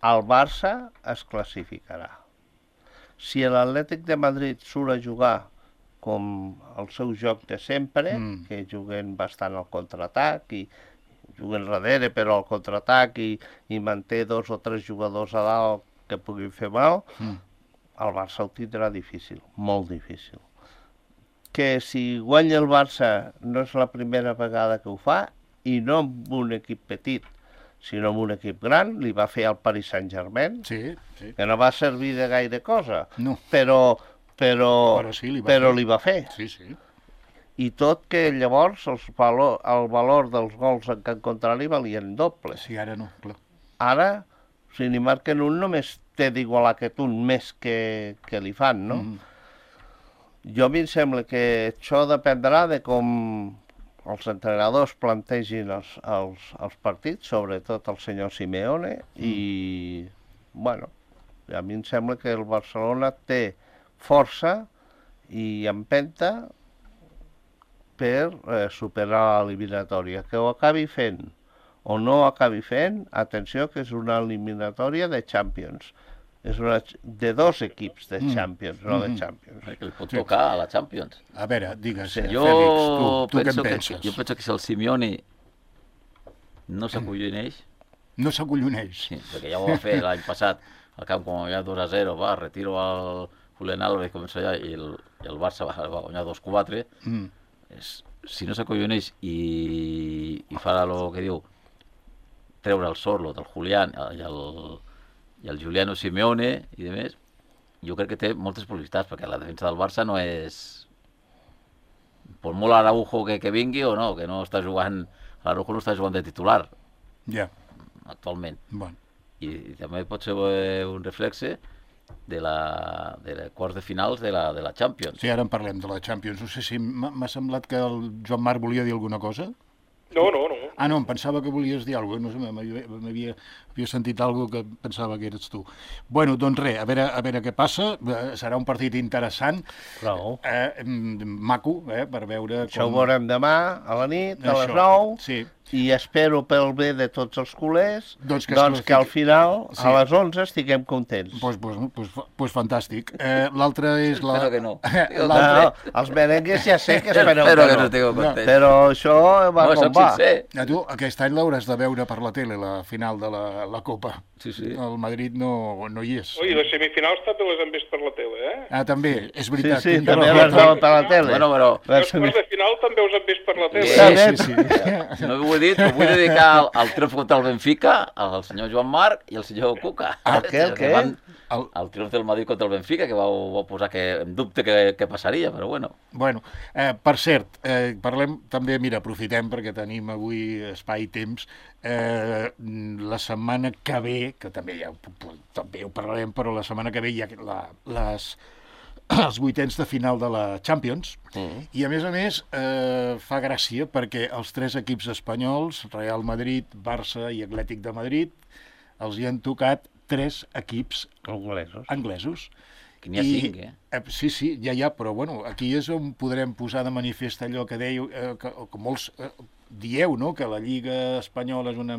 el Barça es classificarà. Si l'Atlètic de Madrid surt a jugar com el seu joc de sempre, que juguen bastant al contraatac i juguen darrere però al contraatac i manté 2 o 3 jugadors a dalt que puguin fer mal, el Barça ho tindrà difícil, molt difícil. Que si guanya el Barça no és la primera vegada que ho fa, i no amb un equip petit, sinó amb un equip gran, li va fer al Paris Saint-Germain, que no va servir de gaire cosa, però li va fer. I tot que llavors el valor dels gols en camp contrari valien doble. Sí, ara no, clar. Ara, si n'hi marquen un, només té d'igualar aquest un més que li fan, no? Jo a mi em sembla que això dependrà de com els entrenadors plantegin els partits, sobretot el senyor Simeone, i, bueno, a mi em sembla que el Barcelona té força i empenta per superar l'eliminatòria. Que ho acabi fent o no ho acabi fent, atenció, que és una eliminatòria de Champions. És de 2 equips de Champions, no de Champions. Que li pot tocar a la Champions. A veure, digues, Fèlix, tu què en penses? Jo penso que si el Simeone no s'acolloneix... No s'acolloneix? Sí, perquè ja ho va fer l'any passat, al camp com ja 2-0, va, retiro el Julián Álvarez, comença allà, i el Barça va guanyar 2-4. Si no s'acolloneix i fa el que diu, treure el Sorloth, el Julián i el Giuliano Simeone i demés, jo crec que té moltes possibilitats, perquè la defensa del Barça no és... Per molt Araujo que vingui o no, que no està jugant... L'Araujo no està jugant de titular. Ja. Actualment. Bueno. I també pot ser un reflexe quarts de finals de la Champions. Sí, ara en parlem de la Champions. No sé si m'ha semblat que el Joan Marc volia dir alguna cosa. No. Ah, no, em pensava que volies dir alguna cosa. No sé, m'havia sentit alguna cosa que pensava que eres tu. Bueno, doncs res, a veure què passa. Serà un partit interessant. Maco, per veure com... Això ho veurem demà, a la nit, a les 9. Sí. I espero pel bé de tots els culers que al final, sí, a les 11, estiguem contents. Pues fantàstic. L'altre és la... Espero que no. No, els merengues ja sé que espero que no. no estigueu contents. Però això va com va. Tu, aquest any l'hauràs de veure per la tele, la final de la Copa. Sí. El Madrid no hi és. I les semifinals també les hem vist per la tele, eh? Ah, també, és veritat. Sí, també les veuen per la tele. Bueno, els quarts de final també us hem vist per la tele. Sí. No ho he dit, però vull dedicar al triomf contra el Benfica al senyor Joan Marc i al senyor Cuca. Què? El triomf del Madrid contra el Benfica, que vau posar en dubte què passaria, però bueno. Bueno, per cert, parlem també, mira, aprofitem perquè tenim avui espai i temps, la setmana que ve, que també ho parlarem, però la setmana que ve hi ha els vuitens de final de la Champions, i a més fa gràcia perquè els 3 equips espanyols, Real Madrid, Barça i Atlètic de Madrid, els hi han tocat 3 equips anglesos. Que n'hi ha 5, eh? Sí, ja, però bueno, aquí és on podrem posar de manifest allò que dèieu, que molts dieu, no?, que la Lliga Espanyola és una...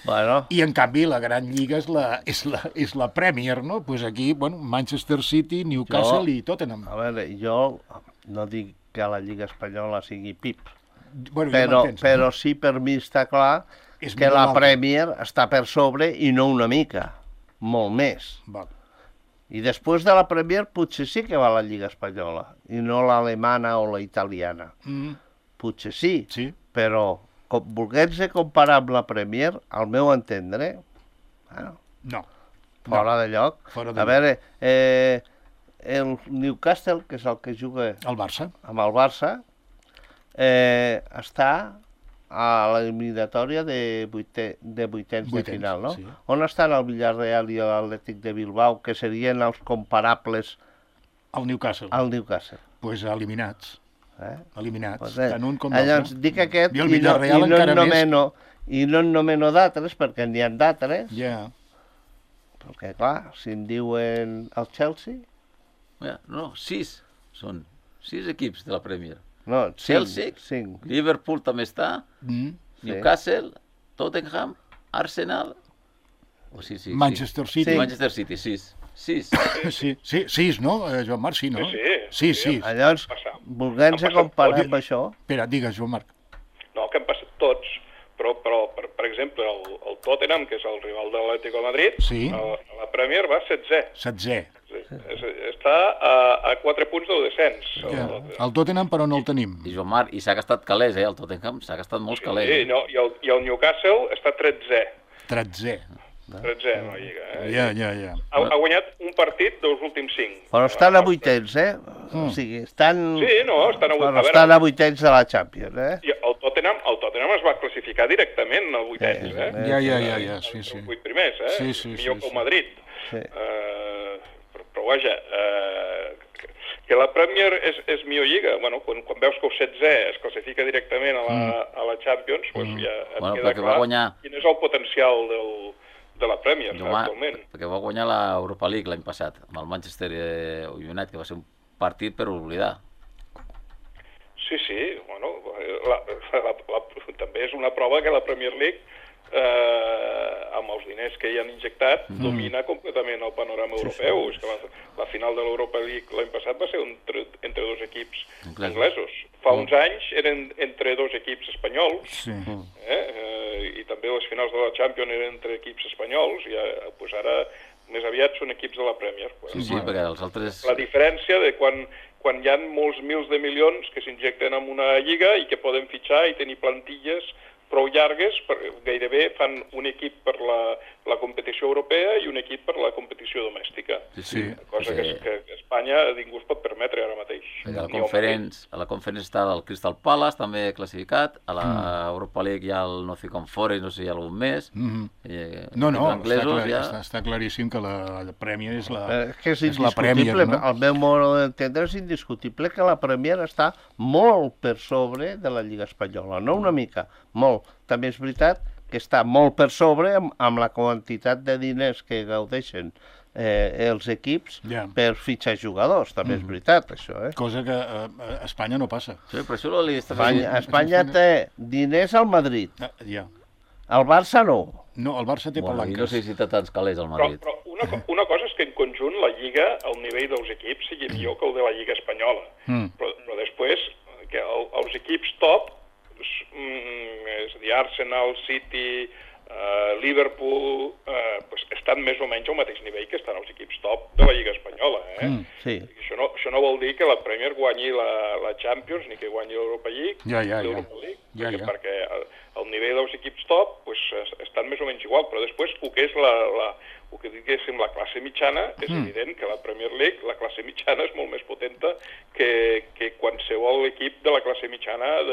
Bueno. I en canvi la gran lliga és la Premier, no? Pues aquí, bueno, Manchester City, Newcastle i Tottenham. A veure, jo no dic que la Lliga Espanyola sigui pip, bueno, però sí per mi està clar que la Premier està per sobre i no una mica, molt més. Val. I després de la Premier potser sí que va la Lliga Espanyola i no l'alemana o la italiana. Potser sí, però volguem-se comparar amb la Premier, al meu entendre, no. Fora de lloc. A veure, el Newcastle, que és el que juga el Barça, amb el Barça, està a l'eliminatòria de vuitens de final, no? Sí. On estan el Villarreal i l'Atlètic de Bilbao, que serien els comparables al Newcastle? Al Newcastle. Pues eliminats. Eliminats, pues tant un com l'altre. Llavors, dic aquest i no en nomeno d'altres, perquè n'hi ha d'altres. Ja. Perquè, clar, si em diuen el Chelsea... No, 6 són 6 equips de la Premier. No, Chelsea, 5. Liverpool també està, Newcastle, Tottenham, Arsenal... Manchester City. Manchester City, 6. 6, no, Joan Marc? Sí, no? Sí. Llavors, volguem-se comparar amb això... Espera, digues, Joan Marc. No, que han passat tots, però per exemple, el Tottenham, que és el rival de l'Atlético de Madrid, a la Premier va 16è. Està a 4 punts del descens. El Tottenham, però no el tenim. I Joan Marc, i s'ha gastat calés, el Tottenham s'ha gastat molts calés. I el Newcastle està 13è. 13è en la Lliga. Ja. Ha guanyat un partit dels últims 5. Però estan a vuitens, O sigui, estan... Sí, no, estan a vuitens. Però estan a vuitens de la Champions, I el Tottenham es va classificar directament al vuitens, Ja, sí. Els 8 primers, Sí. Millor que el Madrid. Sí. Però vaja, que la Premier és millor lliga. Bueno, quan veus que el 16è es classifica directament a la Champions, doncs ja et queda clar quin és el potencial de la Premier, actualment. Perquè va guanyar l'Europa League l'any passat, amb el Manchester United, que va ser un partit per oblidar. Sí, bueno, també és una prova que la Premier League, amb els diners que hi han injectat, domina completament el panorama europeu. És que la final de l'Europa League l'any passat va ser entre 2 equips anglesos. Fa uns anys eren entre 2 equips espanyols, i també les finals de la Champions eren entre equips espanyols, i ara més aviat són equips de la Premier. Sí, perquè els altres... La diferència de quan hi ha molts mils de milions que s'injecten en una lliga i que poden fitxar i tenir plantilles prou llargues, gairebé fan un equip per la competició europea i un equip per la competició domèstica. Sí. Cosa que Espanya Espanya ningú es pot permetre ara mateix. A la Conference està el Crystal Palace, també classificat, a l'Europa League hi ha el Nottingham Forest, no sé si hi ha algun més. Està claríssim que la Premier és la Premier, no? El meu modo d'entendre és indiscutible que la Premier està molt per sobre de la Lliga Espanyola, no una mica, molt. També és veritat que està molt per sobre amb la quantitat de diners que gaudeixen els equips per fitxar jugadors, també és veritat, això. Cosa que a Espanya no passa. Sí, però això Espanya té diners al Madrid. El Barça no. No, el Barça té palanques. No sé si té tants calés al Madrid. Però una cosa és que en conjunt la Lliga, el nivell dels equips, sigui millor que el de la Lliga Espanyola. Però després, que els equips top, és a dir, Arsenal, City, Liverpool, estan més o menys al mateix nivell que estan els equips top de la Lliga Espanyola. Sí. Això no vol dir que la Premier guanyi la Champions ni que guanyi l'Europa League, l'Europa League, perquè el nivell dels equips top estan més o menys igual, però després el que és la classe mitjana, és evident que la Premier League, la classe mitjana és molt més potenta que qualsevol equip de la classe mitjana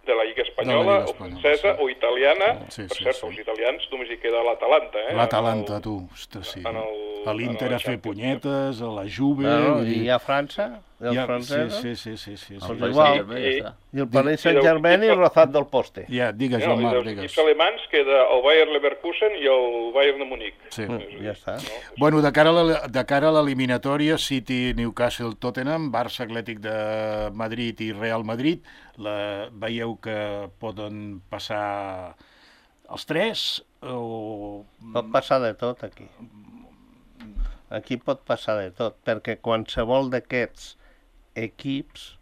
de la Lliga Espanyola, o francesa, o italiana. Per cert, els italians només hi queda l'Atalanta. L'Atalanta, tu, ostres, sí. A l'Inter a fer punyetes, a la Juve... I a França, els francesos. Sí. I el Paris Saint-Germain i el Rozat del Poste. Digues, Joan Marc, digues. Els alemanys queda el Bayer Leverkusen i el Bayern de Munic. Sí. Ja està. Bueno, de cara a l'eliminatòria, City, Newcastle, Tottenham, Barça, Atlètic de Madrid i Real Madrid, veieu que poden passar els tres? Pot passar de tot, aquí. Aquí pot passar de tot, perquè qualsevol d'aquests equips,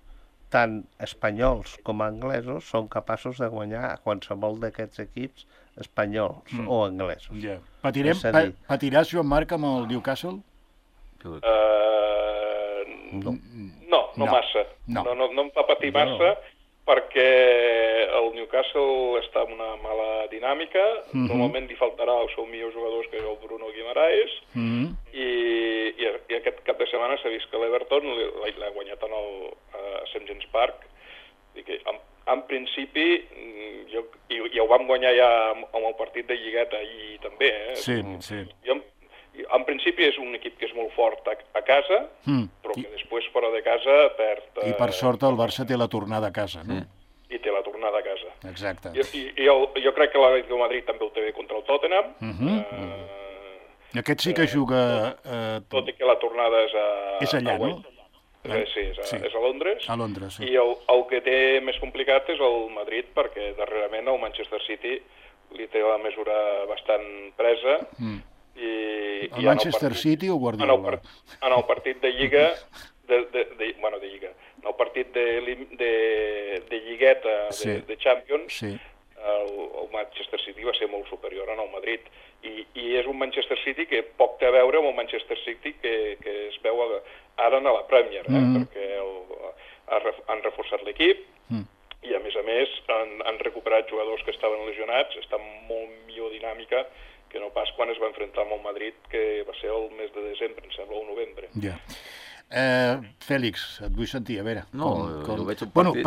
tant espanyols com anglesos, són capaços de guanyar a qualsevol d'aquests equips espanyols o anglesos. Patiràs, Joan Marc, amb el Newcastle? No massa. No em fa patir massa, perquè el Newcastle està en una mala dinàmica, normalment li faltarà el seu millor jugador, que és el Bruno Guimaraes, i aquest cap de setmana s'ha vist que l'Everton l'ha guanyat a St. James Park, i que en principi, i ho vam guanyar ja amb el partit de Lligueta ahir també, Sí. En principi és un equip que és molt fort a casa, però que després fora de casa perd... I per sort el Barça té la tornada a casa, no? I té la tornada a casa. Exacte. I jo crec que l'Atlético de Madrid també ho té bé contra el Tottenham. Aquest sí que juga... Tot i que la tornada és allà, no? Sí, és a Londres. A Londres, sí. I el que té més complicat és el Madrid, perquè darrerament el Manchester City li té la mesura bastant presa. El Manchester City o Guardiola? En el partit de Lliga, de Lliga, en el partit de Lligueta, de Champions, el Manchester City va ser molt superior al Madrid. I és un Manchester City que poc té a veure amb el Manchester City que es veu ara a la Premier, perquè han reforçat l'equip i a més han recuperat jugadors que estaven lesionats, està molt millor dinàmica que no pas quan es va enfrontar amb el Madrid, que va ser el mes de desembre, em sembla, o novembre. Fèlix, et vull sentir, a veure. Jo veig un partit...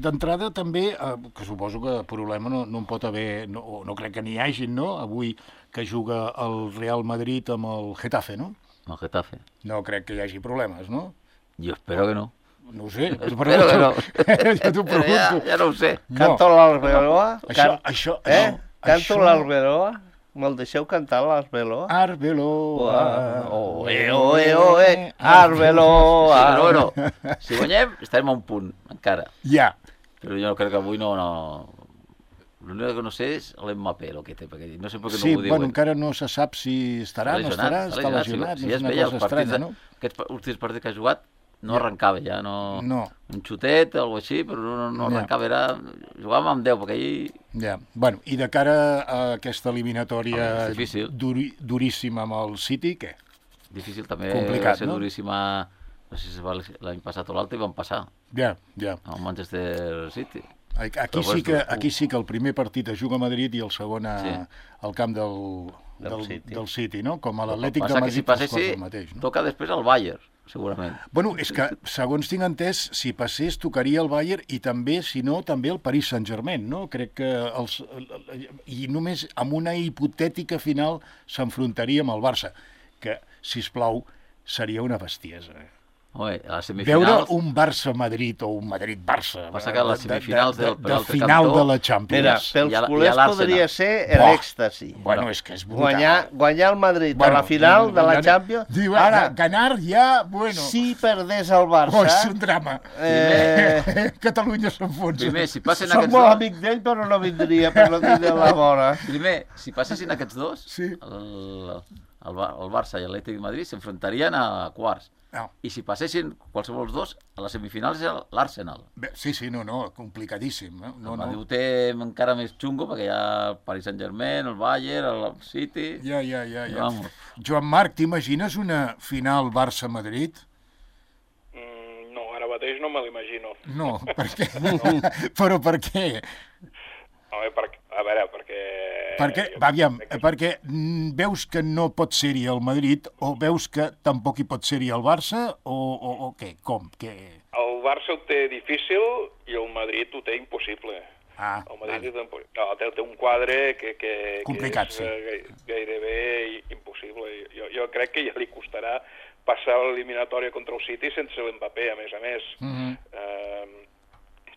D'entrada també, que suposo que problema no en pot haver, no crec que n'hi hagi, no?, avui que juga el Real Madrid amb el Getafe, no? El Getafe. No crec que hi hagi problemes, no? Jo espero que no. No ho sé, espero que no. Jo t'ho pregunto. Ja no ho sé. Canto l'Alberoa? Canto l'Alberoa? Me'l deixeu cantar l'Arbeloa? Arbeloa. Oe, Arbeloa. Bueno, si guanyem, estarem a un punt, encara. Ja. Però jo crec que avui no... L'únic que no sé és l'Mbappé, el que té, perquè no sé per què no ho diuen. Sí, bueno, encara no se sap si estarà, no estarà, està lesionat, és una cosa estranya, no? Aquests últims partits que ha jugat no arrencava ja, no. Un xutet o alguna cosa així, però no arrencava, jugàvem amb 10, perquè ahir... Ja, bueno, i de cara a aquesta eliminatòria duríssima amb el City, què? Difícil també, complicat, va ser duríssima, no sé si l'any passat o l'altre, i van passar. Ja. Al Manchester City. Aquí sí que el primer partit es juga a Madrid i el segon al camp del del City, no? Com a l'Atlètic de Madrid. Si passessi, toca després el Bayern, segurament. Bueno, és que, segons tinc entès, si passés, tocaria el Bayern i també, si no, també el Paris Saint-Germain, no? Crec que i només amb una hipotètica final s'enfrontaria amb el Barça, que, sisplau, seria una bestiesa. Home, a les semifinals... Veure un Barça-Madrid o un Madrid-Barça... Passa que a les semifinals de final de la Champions... Mira, pels culers podria ser l'èxtasi. Bueno, és que és brutal. Guanyar el Madrid a la final de la Champions... Diu, ara, ganar ja, bueno... Si perdés el Barça... És un drama. Catalunya s'enfonsa. Primer, si passen aquests dos... Som molt amic d'ell, però no vindria per no tindre la vora. Primer, si passessin aquests dos, el Barça i l'Atlètic de Madrid s'enfrontarien a quarts. No. I si passessin qualsevol dels dos, a les semifinals és l'Arsenal. Sí, complicadíssim. El Madrid ho té encara més xungo, perquè hi ha el Paris Saint-Germain, el Bayern, el City... Ja. Joan Marc, t'imagines una final Barça-Madrid? No, ara mateix no me l'imagino. No, per què? Però per què? A veure, perquè... Perquè veus que no pot ser-hi el Madrid o veus que tampoc hi pot ser-hi el Barça o què? Com? El Barça ho té difícil i el Madrid ho té impossible. El Madrid té un quadre que complicat, és gairebé impossible. Jo crec que ja li costarà passar l'eliminatòria contra el City sense l'Mbappé, a més.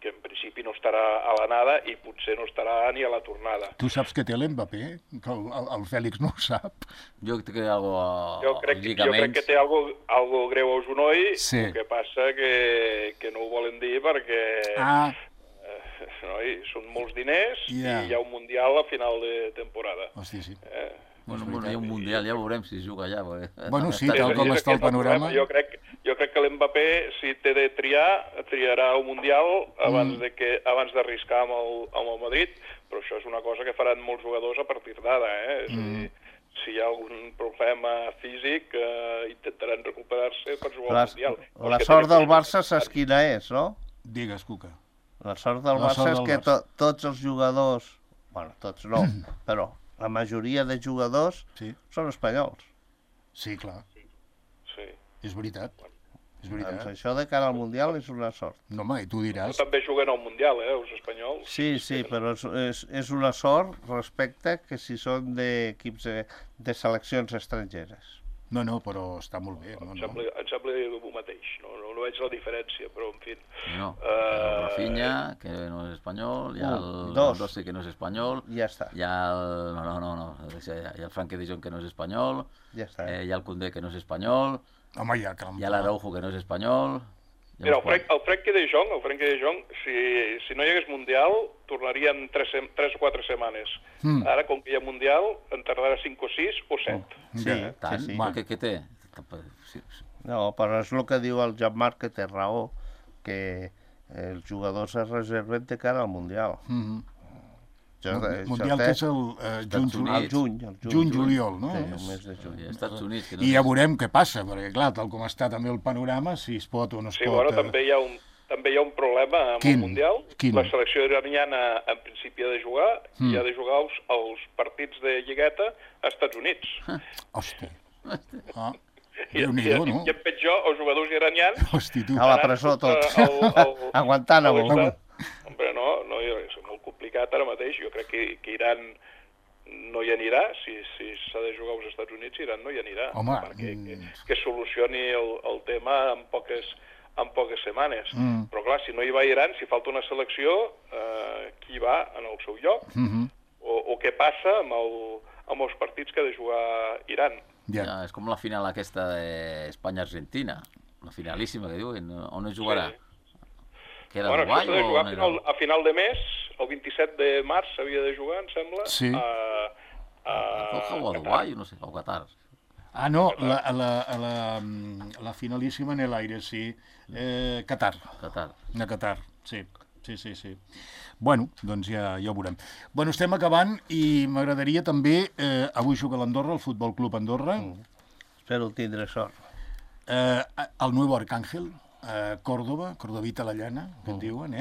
Que en principi no estarà a l'anada i potser no estarà ni a la tornada. Tu saps que té l'Mbappé? Que el Fèlix no ho sap? Jo crec que té algo jo crec que té algo greu al genoll, el que passa que no ho volen dir perquè són molts diners i hi ha un Mundial a final de temporada. Hòstia, sí. Bueno, hi ha un Mundial, ja veurem si es juga allà. Bueno, sí, tal com està el panorama. Jo crec que l'Mbappé, si té de triarà el Mundial abans d'arriscar amb el Madrid, però això és una cosa que faran molts jugadors a partir d'ara, És a dir, si hi ha algun problema físic, intentaran recuperar-se per jugar al Mundial. La sort del Barça saps quina és, no? Digues, Cuca. La sort del Barça és que tots els jugadors, bueno, tots no, però la majoria de jugadors són espanyols. Sí, clar. Sí. És veritat. Doncs això de cara al Mundial és una sort. No, home, i tu diràs... També juguen al Mundial, els espanyols. Sí, però és una sort respecte que si són d'equips de seleccions estrangeres. No, però està molt bé. Em sembla el mateix, no veig la diferència, però en fi... No, el Rafinha, que no és espanyol, hi ha el Dossi, que no és espanyol, ja està. Hi ha el Frenkie de Jong, que no és espanyol, ja està. Hi ha el Koundé, que no és espanyol, home, hi ha l'Araujo, que no és espanyol... Mira, el Frenkie de Jong, si no hi hagués Mundial, tornarien 3 o 4 setmanes. Ara, com que hi ha Mundial, en tardarà 5 o 6 o 7. Sí. Què té? No, però és el que diu el Jean-Marc, que té raó, que els jugadors es reserven de cara al Mundial. Mundial que és el juny-juliol, no? Sí, el mes de juny. Estats Units. I ja veurem què passa, perquè clar, tal com està també el panorama, si es pot o no es pot... Sí, bueno, també hi ha un problema amb el Mundial. La selecció iraniana en principi ha de jugar i ha de jugar els partits de lligueta als Estats Units. Hòstia. Déu-n'hi-do, no? I en pitjor, els jugadors iranians... A la presó tots, aguantant a volta. Hombre, no, és molt complicat ara mateix. Jo crec que Iran no hi anirà. Si s'ha de jugar als Estats Units, Iran no hi anirà. Home... Que solucioni el tema en poques setmanes. Però clar, si no hi va Iran, si falta una selecció, qui va en el seu lloc? O què passa amb els partits que ha de jugar Iran? Ja, és com la final aquesta d'Espanya-Argentina, la finalíssima que diuen, on no jugarà? Que era Dubai, això s'ha de jugar a final de mes, el 27 de març s'havia de jugar, em sembla, sí. a Dubai, no sé, o Qatar. Ah, no, la finalíssima en l'aire, sí. Qatar. A Qatar, sí. Bueno, doncs ja ho veurem. Bueno, estem acabant i m'agradaria també, avui juga l'Andorra, el Futbol Club Andorra. Espero tindre sort. El Nuevo Arcángel, Córdoba, Cordovita la llana, que en diuen,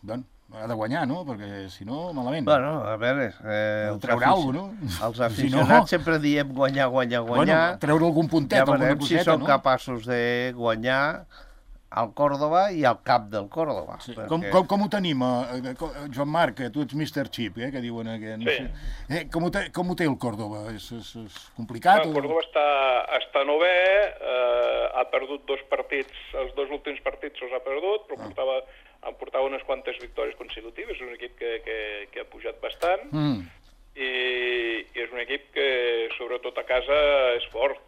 Doncs ha de guanyar, no? Perquè, si no, malament. Bueno, a veure... treure alguna cosa, no? Els aficionats sempre diem guanyar. Bueno, treure algun puntet, alguna coseta, no? Ja veurem si són capaços de guanyar al Còrdova i al cap del Còrdova. Sí. Perquè... Com ho tenim, Joan Marc, tu ets Mr. Chip, que diuen aquí. No sé. Com ho té el Còrdova? És complicat? El Còrdova està novè, ha perdut 2 partits, els 2 últims partits els ha perdut, però portava unes quantes victòries consecutives, és un equip que ha pujat bastant, i és un equip que, sobretot a casa, és fort.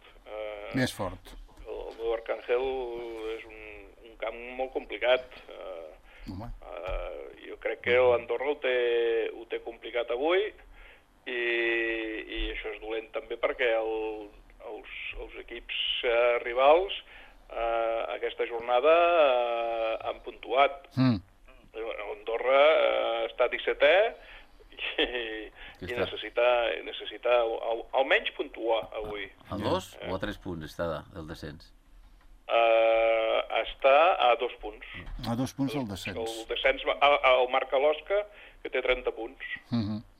És fort. El meu Arcángel és un camp molt complicat. Jo crec que l'Andorra ho té complicat avui, i això és dolent també perquè els equips rivals aquesta jornada han puntuat. Andorra està 17è i necessita almenys puntuar avui. A 2 o a 3 punts està del descens? Està a 2 punts. A 2 punts el descens. El descens el marca l'Osca, que té 30 punts.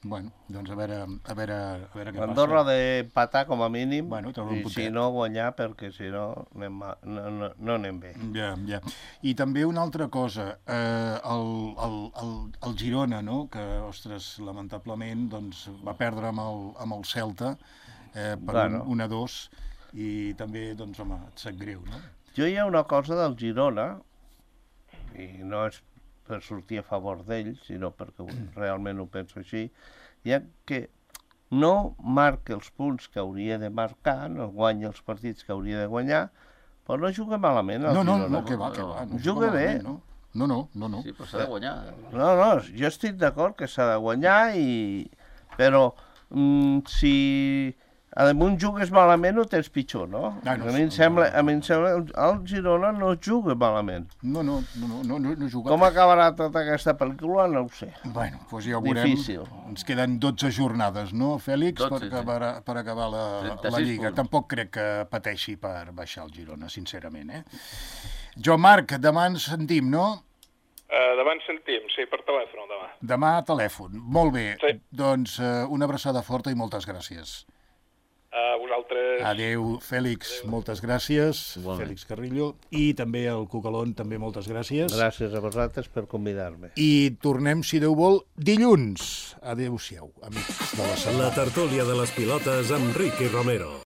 Bueno, doncs a veure què passa. Andorra ha d'empatar com a mínim, i si no guanyar, perquè si no no anem bé. Ja. I també una altra cosa, el Girona, no? Que, ostres, lamentablement va perdre amb el Celta per 1-2, i també, home, et sap greu, no? Jo hi ha una cosa del Girona, i no és per sortir a favor d'ells, sinó perquè realment ho penso així, ja que no marca els punts que hauria de marcar, no guanya els partits que hauria de guanyar, però no juga malament el Girona. No, que va. No juga bé. No. Sí, però s'ha de guanyar. No, jo estic d'acord que s'ha de guanyar, però si damunt jugues malament ho tens pitjor, no? A mi em sembla el Girona no juga malament. No juga. Com acabarà tota aquesta pel·lícula, no ho sé. Bueno, doncs ja ho veurem. Difícil. Ens queden 12 jornades, no, Fèlix, per acabar la Lliga. Tampoc crec que pateixi per baixar el Girona, sincerament, Joan Marc, demà ens sentim, no? Demà ens sentim, sí, per telèfon, demà. Demà a telèfon, molt bé. Sí. Doncs una abraçada forta i moltes gràcies. A vosaltres. Adéu, Fèlix, moltes gràcies. Fèlix Carrillo. I també el Cucalón, també moltes gràcies. Gràcies a vosaltres per convidar-me. I tornem, si Déu vol, dilluns. Adéu-siau, amics de la Sala. La tertúlia de les pilotes amb Ricky Romero.